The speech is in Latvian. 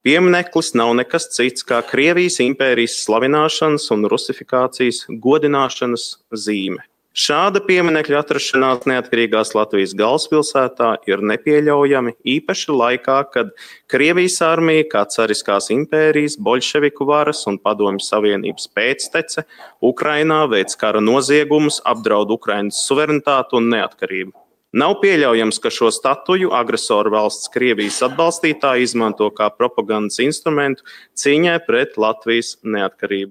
Piemineklis nav nekas cits kā Krievijas impērijas slavināšanas un rusifikācijas godināšanas zīme. Šāda pieminekļa atrašanās neatkarīgās Latvijas galvaspilsētā ir nepieļaujami, īpaši laikā, kad Krievijas armija kā cariskās impērijas, boļševiku varas un Padomju Savienības pēctece Ukrainā veic kara noziegumus, apdraud Ukrainas suverenitāti un neatkarību. Nav pieļaujams, ka šo statuju agresoru valsts Krievijas atbalstītāji izmanto kā propagandas instrumentu cīņai pret Latvijas neatkarību.